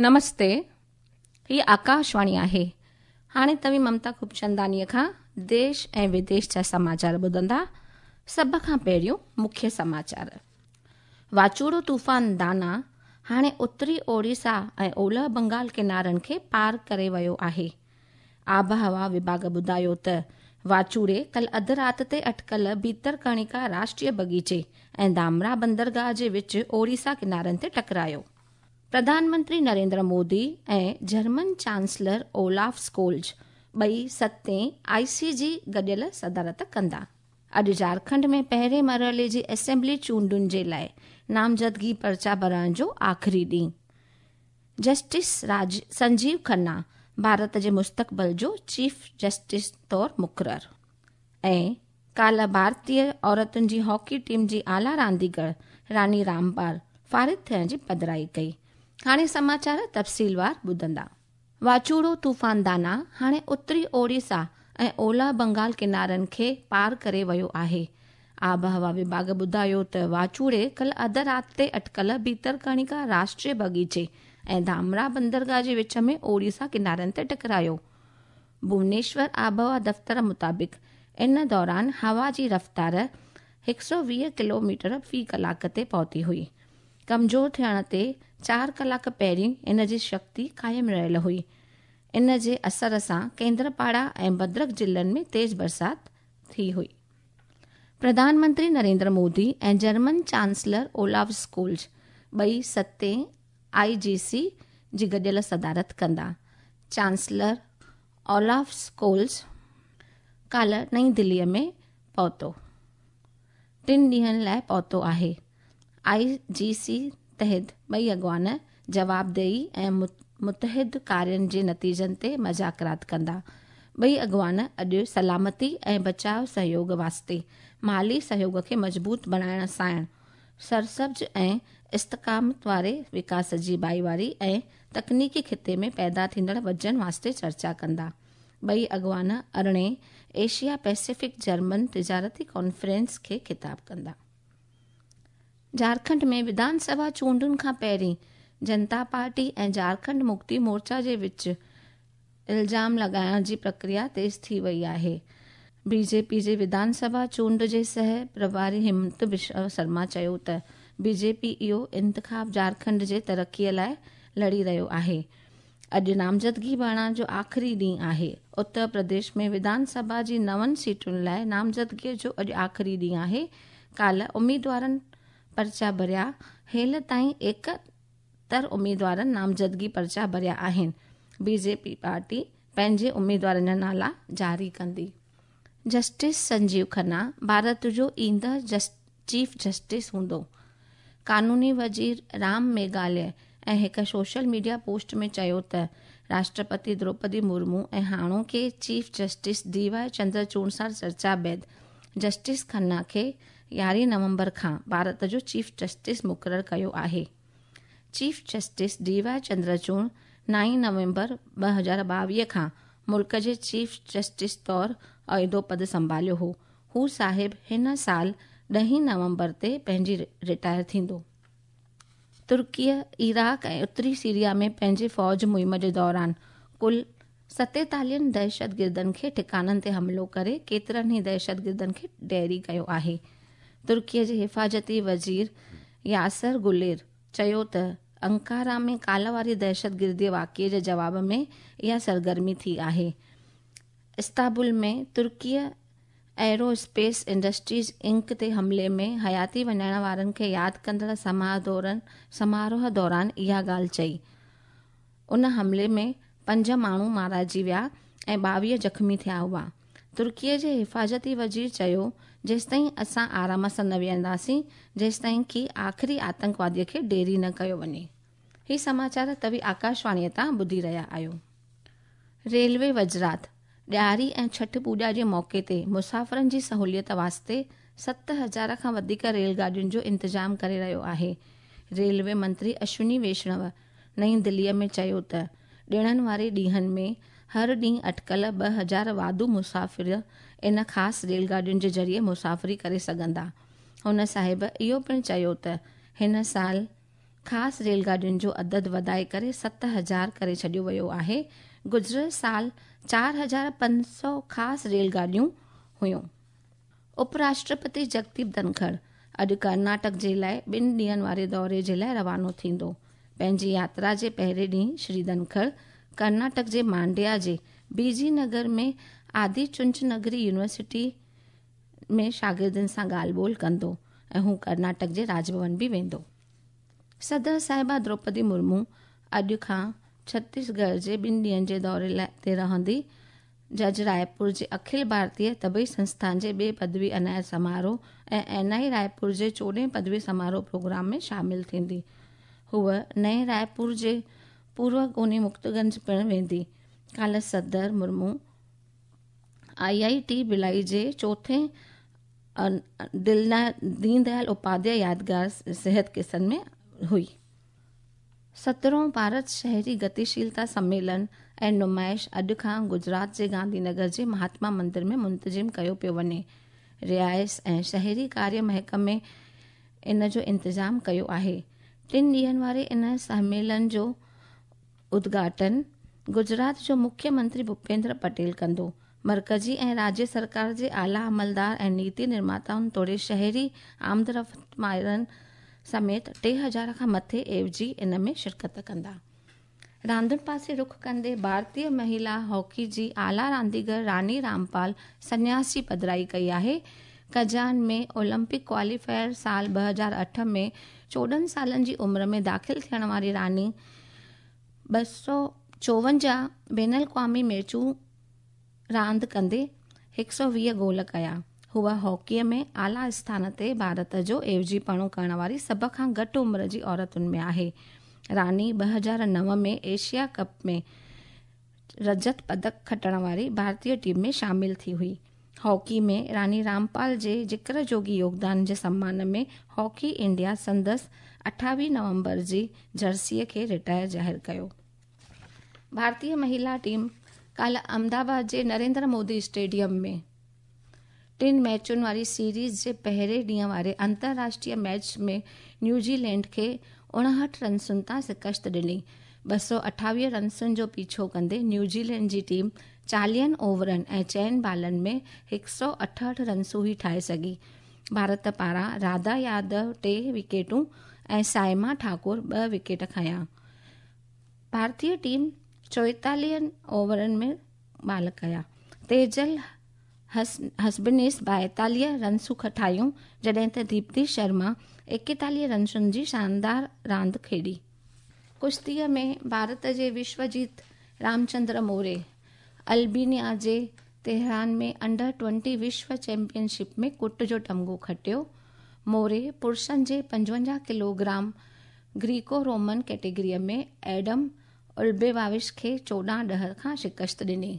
نمستي، هي آڪاشواڻي آهي. هاڻي توهين ممتا خوبچنداڻيء کان ديش ۽ وديش جا سماچار ٻڌندا. سڀ کان پهريون مکيه سماچار. واچوڙو طوفان دانا هاڻي اتري اوڙيسا ۽ اولهه بنگال ڪنارن کي پار ڪري ويو آهي. آبهوا وڀاڳ ٻڌايو ته واچوڙي ڪل اڌ رات تي اٽڪل ڀيترڪڻيڪا راشٽريه بغيچي ۽ ڌامرا بندرگاهه جي وچ اوڙيسا ڪنارن تي ٽڪرايو. Pradhan Mantri Narendra Modi ۽ German chancellor Olaf Scholz ٻئي ستين آء سي جي گڏيل صدارت ڪندا. اڄ جهارکنڊ ۾ پهرين مرحلي جي اسيمبلي چونڊن جي لاء نامزدگي پرچا ڀرڻ جو آخري ڏينهن. جسٽس راج سنجيو کنا ڀارت جي مستقبل جو چيف جسٽس طور مقرر ۽ ڪالهه ڀارتي عورتن جي هاڪي ٽيم جي اعليٰ رانديگر راني رامپال فارغ ٿيڻ جي پڌرائي ڪئي. هاڻي سماچار تفصيلوار ٻڌندا. واچوڙو طوفان دانا هاڻي اتري اوڙيسا ۽ اولهه بنگال ڪنارن کي پار ڪري ويو آهي. آبهوا وڀاڳ ٻڌايو ته واچوڙي ڪلهه اڌ رات تي اٽڪل ڀيترڪڻيڪا راشٽريه بغيچي ۽ ڌامرا بندرگاهه جي وچ ۾ اوڙيسا ڪنارن تي ٽڪرايو. ڀونيشور آبهوا دفتر مطابق ان دوران هوا جي رفتار 120 ڪلوميٽر في ڪلاڪ تي پهتي هئي. ڪمزور ٿيڻ تي چار ڪلاڪ پهرين ان جي شڪتي قائم رهيل هئي. ان جي اثر سان ڪيندرپاڙا ۽ ڀدرڪ ضلعن ۾ تيز برسات ٿي هئي. Pradhan Mantri Narendra Modi ۽ German chancellor Olaf Scholz ٻئي ستين آء جي سي جي گڏيل صدارت ڪندا. چانسلر اولاف اسڪولز ڪالهه نئين دليء ۾ پهتو. ٽن ڏينهن لاء پهتو آهي. آء جي سي تحت ٻئي اڳواڻ جوابدهي ۽ متحد ڪارين جي نتيجن تي مذاڪرات ڪندا. ٻئي اڳواڻ اڄ سلامتي ۽ بچاء سهيوڳ واسطي مالي سهيوڳ کي مضبوط بڻائڻ ساڻ سرسبز ۽ استقامت واري وڪاس جي ڀائيواري ۽ تڪنيڪي خطي ۾ پيدا ٿيندڙ وزن واسطي چرچا ڪندا. ٻئي اڳواڻ ارڙهين ايشيا پيسفڪ جرمن تجارتي ڪانفرنس کي خطاب ڪندا. جهارکنڊ ۾ وڌان سڀا چونڊن کان پهرين جنتا پارٽي ۽ جهارکنڊ مڪتي مورچا جي وچ الزام لڳائڻ جي پرڪريا تيز ٿي وئي آهي. بي جي پي جي وڌان سڀا چونڊ جي سهه پرڀاري همت بشو شرما چيو ته بي جي پي اهو انتخاب جهارکنڊ جي ترقي لاء لڙي رهيو آهي. اڄ نامزدگي ڀرڻ جو آخري ڏينهن آهي. اتر پرديش ۾ وڌان سڀا جي نون سيٽن لاء نامزدگي جو اڄ آخري ڏينهن آهي. ڪالهه اميدوارن پرچا ڀريا، هيل تائين 71 اميدوارن نامزدگي پرچا ڀريا آهن. بي جي پي پارٽي پنهنجي اميدوارن جا نالا جاري ڪندي. جسٽس سنجيو کنا ڀارت جو ايندڙ چيف جسٽس هوندو. قانوني وزير رام ميگهاليه ۽ هڪ سوشل ميڊيا پوسٽ ۾ چيو ته راشٽرپتي دروپدي مرمو ۽ هاڻوڪي chief justice D Y Chandrachud سان چرچا بعد جسٽس کنا کي 11 نومبر کان ڀارت جو چيف جسٽس مقرر ڪيو آهي. Chief justice D Y Chandrachud نائين نومبر 2022 کان ملڪ جي چيف جسٽس طور عهدو پد سنڀاليو هو. هو صاحب هن سال ڏهين نومبر تي پنهنجي رٽائر ٿيندو. ترڪيء عراق ۽ اتري سيريا ۾ پنهنجي فوج مهم جي دوران ڪل ستيتاليهن دهشتگردن کي ٺڪاڻن تي حملو ڪري ڪيترن ئي دهشتگردن کي ڍيري ڪيو آهي. ترڪيء جي حفاظتي وزير ياسر گلير چيو ته انقره ۾ ڪالهه واري دهشتگردي واقعي جي جواب ۾ اها سرگرمي ٿي آهي. استنبول ۾ ترڪيء ايرو اسپيس انڊسٽريز انڪ تي حملي ۾ حياتي وڃائڻ وارن کي ياد ڪندڙ سماروهه دوران اها ڳالهه چئي. ان حملي ۾ پنج ماڻهو مارائجي ويا ۽ 22 زخمي ٿيا هئا. ترڪيء جي حفاظتي وزير چيو، جيستائين اسان آرام سان نه ويهنداسين، جيستائين ڪي آخري آتنڪوادي کي ڍيري نه ڪيو وڃي. هي سماچار توهين آڪاشواڻيء تان ٻڌي رهيا آهيو. ريلوي وزارت ڏياري ۽ ڇٺ پوڄا جي موقعي تي مسافرن جي سهوليت واسطي 7000 کان وڌيڪ ريل گاڏين جو انتظام ڪري رهيو آهي. ريلوي منتري اشوني ويشڻو نئين دليء ۾ چيو ته ڏڻن واري ڏينهن ۾ هر ڏينهن اٽڪل 2000 واڌو مسافر ان خاص ريل گاڏين جي ذريعي مسافري ڪري سگهندا. هن صاحب اهو پڻ چيو ته هن سال خاص ريل گاڏين جو عدد وڌائي ڪري 7000 ڪري ڇڏيو ويو آهي. گذريل سال 4500 خاص ريل گاڏيون هيون. اپ راشٽرپتي جگديپ ڌنکڙ اڄ ڪرناٽڪ جي لاءِ 2 ڏينهن واري دوري جي لاءِ روانو ٿيندو. پنهنجي ياترا جي پهرين ڏينهن شري ڌنکڙ ڪرناٽڪ جي مانڊيا جي بي جي نگر ۾ آدي چنچنگري يونيورسٽي ۾ شاگردن سان ڳالهه ٻولهه ڪندو ۽ هو ڪرناٽڪ جي راج ڀون به ويندو. صدر صاحبه دروپدي مرمو اڄ کان ڇتيسڳڙهه جي 2 ڏينهن جي دوري تي رهندي. جج رائپور جي اکل ڀارتيه طبي سنسٿان جي ٻئي پدوي عنايت سماروهه ۽ اين I Raipur جي 14 پدوي سماروهه پروگرام ۾ شامل ٿيندي. هوءَ نئين رائپور جي پورو ڪوني مڪتگنج پڻ ويندي. ڪالهه صدر مرمو I I ٽي ڀلائي جي چوٿين دين ديال اپاڌياء يادگار صحت ڪسن ۾ هئي. 17هون ڀارت شهري گتيشيلتا سميلن ۽ نمائش اڄ کان گجرات جي گانڌي نگر جي مهاتما مندر ۾ منتظم ڪيو پيو وڃي. رهائش ۽ شهري ڪاريه محڪمي ان جو انتظام ڪيو آهي. 3 ڏينهن واري ان سميلن جو ادگهاٽن گجرات جو مکيه منتري ڀوپيندر پٽيل ڪندو. مرڪزي ۽ راجيه سرڪار جي اعليٰ عملدار ۽ نيتي نرماتائن توڙي شهري آمدرفت ماهرن سميت 3000 کان مٿي عيوضي ان ۾ شرڪت ڪندا. راندن پاسي رخ ڪندي ڀارتيه مهلا هاڪي جي اعليٰ رانديگر راني رامپال سنياس جي پڌرائي ڪئي آهي. ڪزان ۾ اولمپڪ ڪواليفائر سال 2008 ۾ 14 سالن جي عمر ۾ داخل ٿيڻ واري راني 254 بين الاقوامي ميچون راند ڪندي 120 گول ڪيا. هوءَ هاڪيءَ ۾ اعليٰ اسٿان تي ڀارت جو عيوضيپڻو ڪرڻ واري سڀ کان گهٽ عمر جي عورتن ۾ آهي. راني 2009 ۾ ايشيا ڪپ ۾ رجت پدڪ کٽڻ واري ڀارتيه ٽيم ۾ شامل ٿي هئي. هاڪي ۾ راني رامپال جي ذڪر جوڳي يوگدان جي سمان ۾ هاڪي انڊيا سندس 28 نومبر جي جرسيءَ کي رٽائر ظاهر ڪيو. ڀارتيه مهلا ٽيم ڪالهه احمدآباد جي نريندر مودي اسٽيڊيم ۾ 3 ميچن واري سيريز جي پهرين ڏينهن واري انترراشٽريه ميچ ۾ نيوزيلينڊ کي 59 رنسن تان شڪست ڏني. 228 رنسن جو پيڇو ڪندي نيوزيلينڊ جي ٽيم 40 اوورن ۽ 4 بالن ۾ 168 رنسون ئي ٺاهي سگهي. ڀارت پاران راڌا يادو 3 وڪيٽون ۽ سائما ٺاڪر 2 وڪيٽ کنيا. ڀارتيه ٽيم 44 اوورن ۾ بال ڪيا. تيجل هسبنيس 42 رنسون ٺاهيون، جڏهن ته ديپتي شرما 41 رنسن جي شاندار راند کيڏي. ڪشتيءَ ۾ ڀارت جي وشوجيت رامچندر موري البينيا جي تهران ۾ انڊر 20 وشو چيمپيئن شپ ۾ ڪٽ جو تمغو کٽيو. موري پرشن جي 55 ڪلو گرام گريڪو رومن ڪيٽيگريءَ ۾ ايڊم البيواوش کي 14-10 کان شڪست ڏني.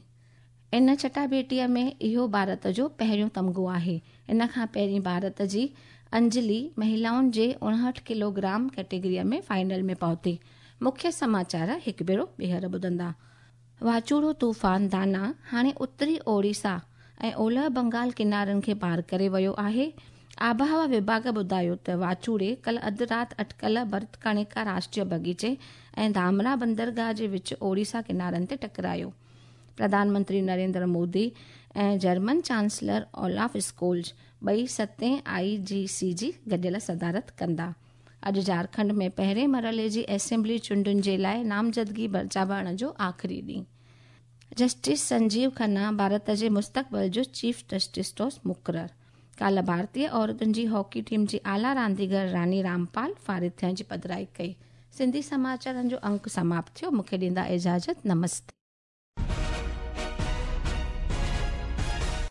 ان چٽاڀيٽيءَ ۾ اهو ڀارت جو پهريون تمغو آهي. ان کان پهرين ڀارت جي انجلي مهلائن جي 59 ڪلو گرام ڪيٽيگريءَ ۾ فائنل ۾ پهتي. مکيه سماچار هڪ ڀيرو ٻيهر ٻڌندا. واچوڙو طوفان دانا هاڻي اتري اوڙيسا ۽ اولهه بنگال ڪنارن کي پار ڪري ويو آهي. آبهوا وڀاڳ ٻڌايو ته واچوڙي ڪل اڌ رات اٽڪل ڀرتڪڻڪا راشٽريه باغيچي ۽ ڌامرا بندرگاهه جي وچ اوڙيسا ڪنارن تي ٽڪرايو. Pradhan Mantri Narendra Modi ۽ German chancellor Olaf schools ٻئي 7هين آئي جي سي جي گڏيل صدارت ڪندا. اڄ جهارکنڊ ۾ پهرين مرحلي جي اسيمبلي چونڊن جي لاءِ نامزدگي پرچا ڀرڻ جو آخري ڏينهن. جسٽس سنجيو کنا ڀارت جي مستقبل جو چيف جسٽس طور مقرر. ڪالهه ڀارتيه عورتن جي هاڪي ٽيم جي اعليٰ رانديگر راني رامپال فارغ ٿيڻ جي پڌرائي ڪئي. سنڌي سماچارن جو انڪ سماپت ٿيو. مون کي ڏيندا اجازت. نمستي.